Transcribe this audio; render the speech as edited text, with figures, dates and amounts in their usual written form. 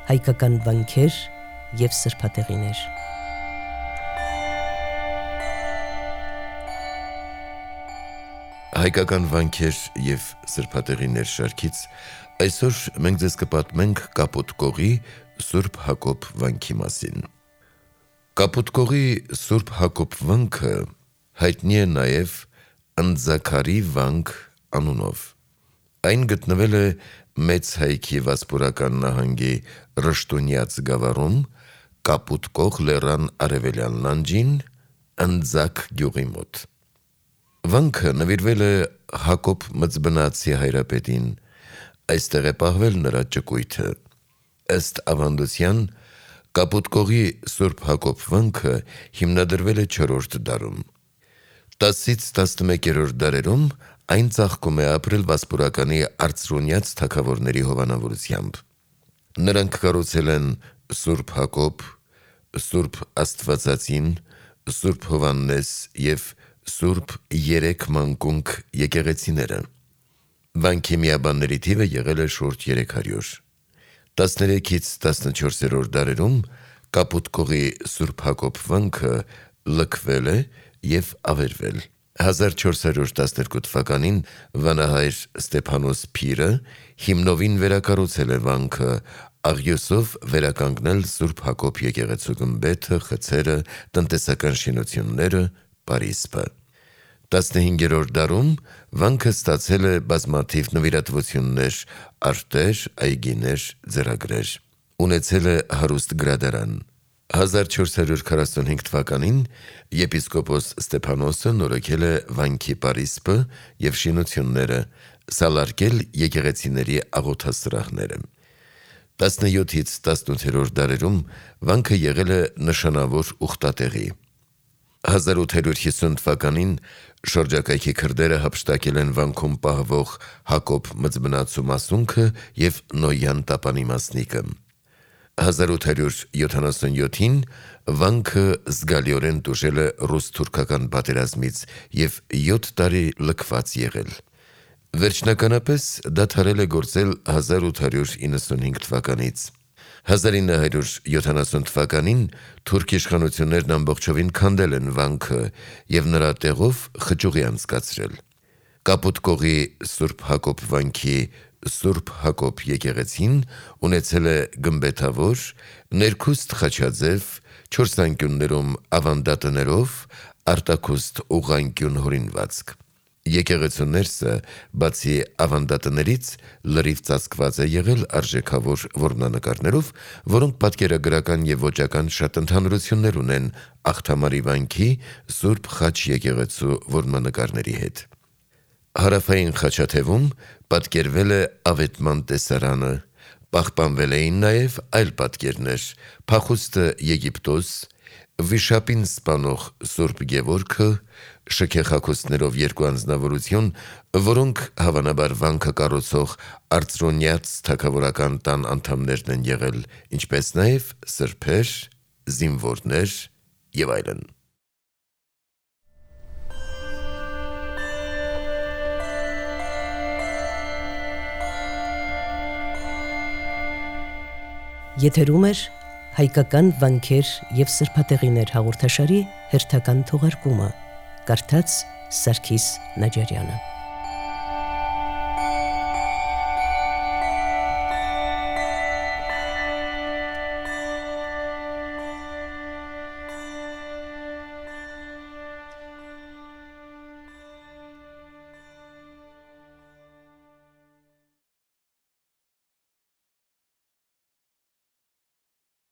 հայկական վանքեր և սրբատեղիներ։ Հայկական վանքեր և սրբատեղիներ շարքից այսօր մենք ձեզ կպատմենք Կապուտ կողի Սուրբ Հակոբ վանքի մասին։ Կապուտ կողի Սուրբ Հակոբ վանքը հայտնի է նաև Ընձաքարի վանք անունով։ Այն գտնվել է Մեծ Հայքի Վասպուրական նահանգի Ռշտունյաց գավառում, Կապուտ կող լեռան արևելյան լանջին, Ընձաք գյուղի մոտ։ Վանքը նվիրվել է Հակոբ Մծբնացի հայրապետին, այստեղ է պահվել նրա ճկույթը։ Ըստ ավանդության, Կապուտ կողի Սուրբ Հակոբ վանքը հիմնադրվել է 4-րդ դարում։ 10-ից 11-րդ դարերում այն ծաղկում է ապրել Վասպուրականի արծրունյաց թագավորների հովանավորությամբ։ Նրանք կառուցել են Սուրբ Հակոբ, Սուրբ Աստվածածին, Սուրբ Հովհաննես և Սուրբ Երեք Մանկունք եկեղեցիները։ Վանքի միաբանների թիվը եղել է շուրջ 300։ 13-ից 14-րդ դարերում Կապուտ կողի Սուրբ Հակոբ վանքը լքվել է և ավերվել։ 1412 թվականին վանահայր Ստեփանոս Փիրը հիմնովին վերակառուցել է վանքը, աղյուսով վերականգնել Սուրբ Հակոբ եկեղեցու գմբեթը, խցերը, տնտեսական շինությունները, պարիսպը։ 15-րդ դարում վանքը ստացել է բազմաթիվ նվիրատվություններ, արտեր, այգիներ, ձեռագրեր։ Ունեցել է հարուստ գրադարան։ 1445 թվականին եպիսկոպոս Ստեփանոսը նորոգել է վանքի պարիսպը և շինությունները, սալարկել եկեղեցիների աղոթասրահները։ 17-ից 18-րդ դարերում վանքը եղել է նշանավոր ուխտատեղի։ 1850 թվականին շրջակայքի քրդերը հափշտակել են վանքում պահվող Հակոբ Մծբնացու մասունքը և Նոյան Տապանի մասնիկը։ 1877-ին վանքը զգալիորեն տուժել է ռուս-թուրքական պատերազմից և 7 տարի լքված եղել։ Վերջնականապես դադարել է գործել 1895 թվականից։ 1970 թվականին թուրք իշխանություններն ամբողջովին քանդել են վանքը և նրա տեղով խճուղի անցկացրել։ Կապուտ կողի Սուրբ Հակոբ վանքի Սուրբ Հակոբ եկեղեցին ունեցել է գմբեթավոր, ներքուստ խաչաձև, 4 անկյուններում ավանդատներով, արտաքուստ ուղղանկյուն հորինվածք։ Եկեղեցու ներսը, բացի ավանդատներից, լրիվ ծածկված է եղել արժեքավոր որմնանկարներով, որոնք պատկերագրական և ոճական շատ ընդհանրություններ ունեն Աղթամարի վանքի Սուրբ Խաչ եկեղեցու որմնանկարների հետ։ Հարավային խաչաթևում պատկերվել է Ավետման տեսարանը, պահպանվել էին նաև այլ պատկերներ՝ փախուստը Եգիպտոս, վիշապին սպանող Սուրբ Գևորգը, շքեղախոսներով 2 անձնավորություն, որոնք հավանաբար վանքը կառուցող արծրունյաց թագավորական տան անդամներն են եղել, ինչպես նաև սրբեր, զինվորներ և այլն։ Եթերում է հայկական վանքեր և սրբատեղիներ հաղորդաշարի հերթական թողարկումը, կարդաց Սարգիս Նաջարյանը։